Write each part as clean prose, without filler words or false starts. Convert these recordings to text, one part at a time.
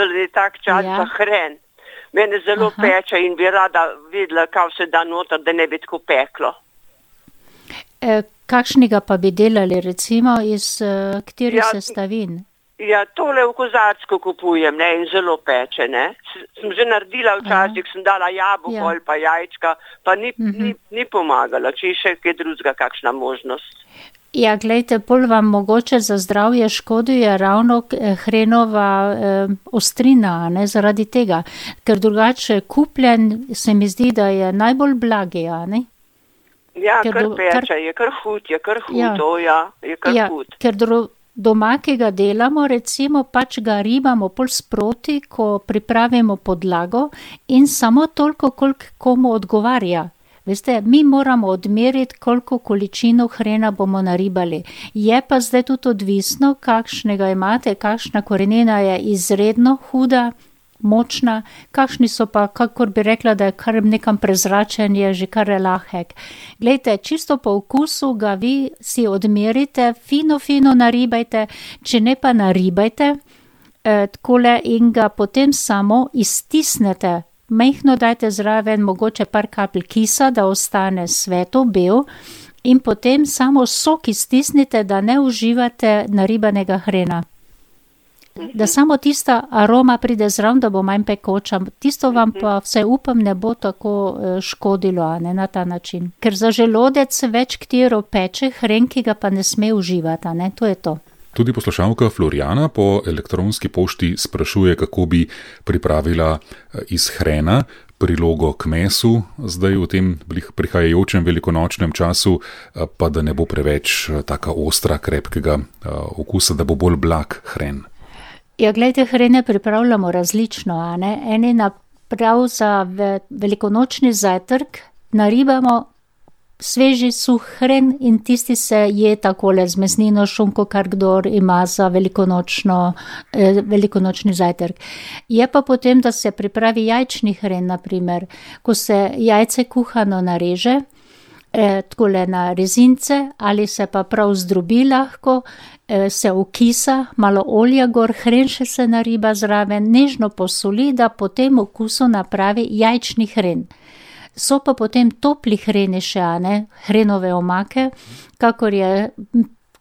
da je tak čas za hren. Mene zelo peče in bi rada videla, kaj se da noter, da ne bi tako peklo. Kakšnega pa bi delali, recimo, iz katerih sestavin? Ja, tole v kozarsko kupujem, ne, in zelo peče, ne. Sem že naredila včasih, sem dala jabolko ali pa jajčka, pa ni pomagala, če je še kaj drugega, kakšna možnost. Ja, glejte, pol vam mogoče za zdravje škoduje ravno hrenova ostrina, ne, zaradi tega, ker drugače kupljen se mi zdi, da je najbolj blagi, ne? Ja, kar peče, je kar hud, je kar hud. Ker doma, ki ga delamo, recimo, pač ga ribamo pol sproti, ko pripravimo podlago in samo toliko, koliko komu odgovarja. Veste, mi moramo odmeriti, koliko količino hrena bomo naribali. Je pa zdaj tudi odvisno, kakšnega imate, kakšna korenina je izredno huda, močna, kakšni so pa, kakor bi rekla, da je kar nekam prezračen, je že kar lahek. Glejte, čisto po okusu ga vi si odmerite, fino naribajte, če ne pa naribajte, takole in ga potem samo iztisnete. Majhno dajte zraven, mogoče par kapelj kisa, da ostane sveto, bel, in potem samo sok iztisnite, da ne uživate naribanega hrena. Da samo tista aroma pride zraven, da bo manj pekoča. Tisto vam pa vse upam ne bo tako škodilo, ne, na ta način. Ker za želodec več katero peče hren, ki ga pa ne sme uživati, ne, to je to. Tudi poslušalka Florjana po elektronski pošti sprašuje, kako bi pripravila iz hrena prilogo k mesu, zdaj v tem prihajajočem velikonočnem času, pa da ne bo preveč taka ostra, krepkega okusa, da bo bolj blag hren. Ja, gledajte, hrene pripravljamo različno, ne? Eni naprav za velikonočni zajtrk naribamo sveži suh hren in tisti se je takole z mesnino, šunko, kar kdor ima za velikonočni zajtrk. Je pa potem, da se pripravi jajčni hren, naprimer, ko se jajce kuhano nareže, takole na rezince ali se pa prav zdrobi lahko, se okisa, malo olja gor, hren še se nariba zraven, nežno posoli, da po tem okusu napravi jajčni hren. So pa potem topli hreni še, hrenove omake, kakor je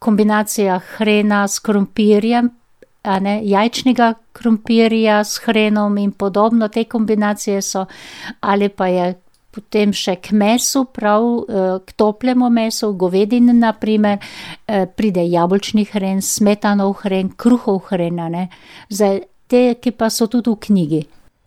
kombinacija hrena s krompirjem, jajčnega krompirja s hrenom in podobno, te kombinacije so, ali pa je potem še k mesu, prav k toplemu mesu, govedini naprimer, pride jabolčni hren, smetanov hren, kruhov hren, zdaj te, ki pa so tudi v knjigi.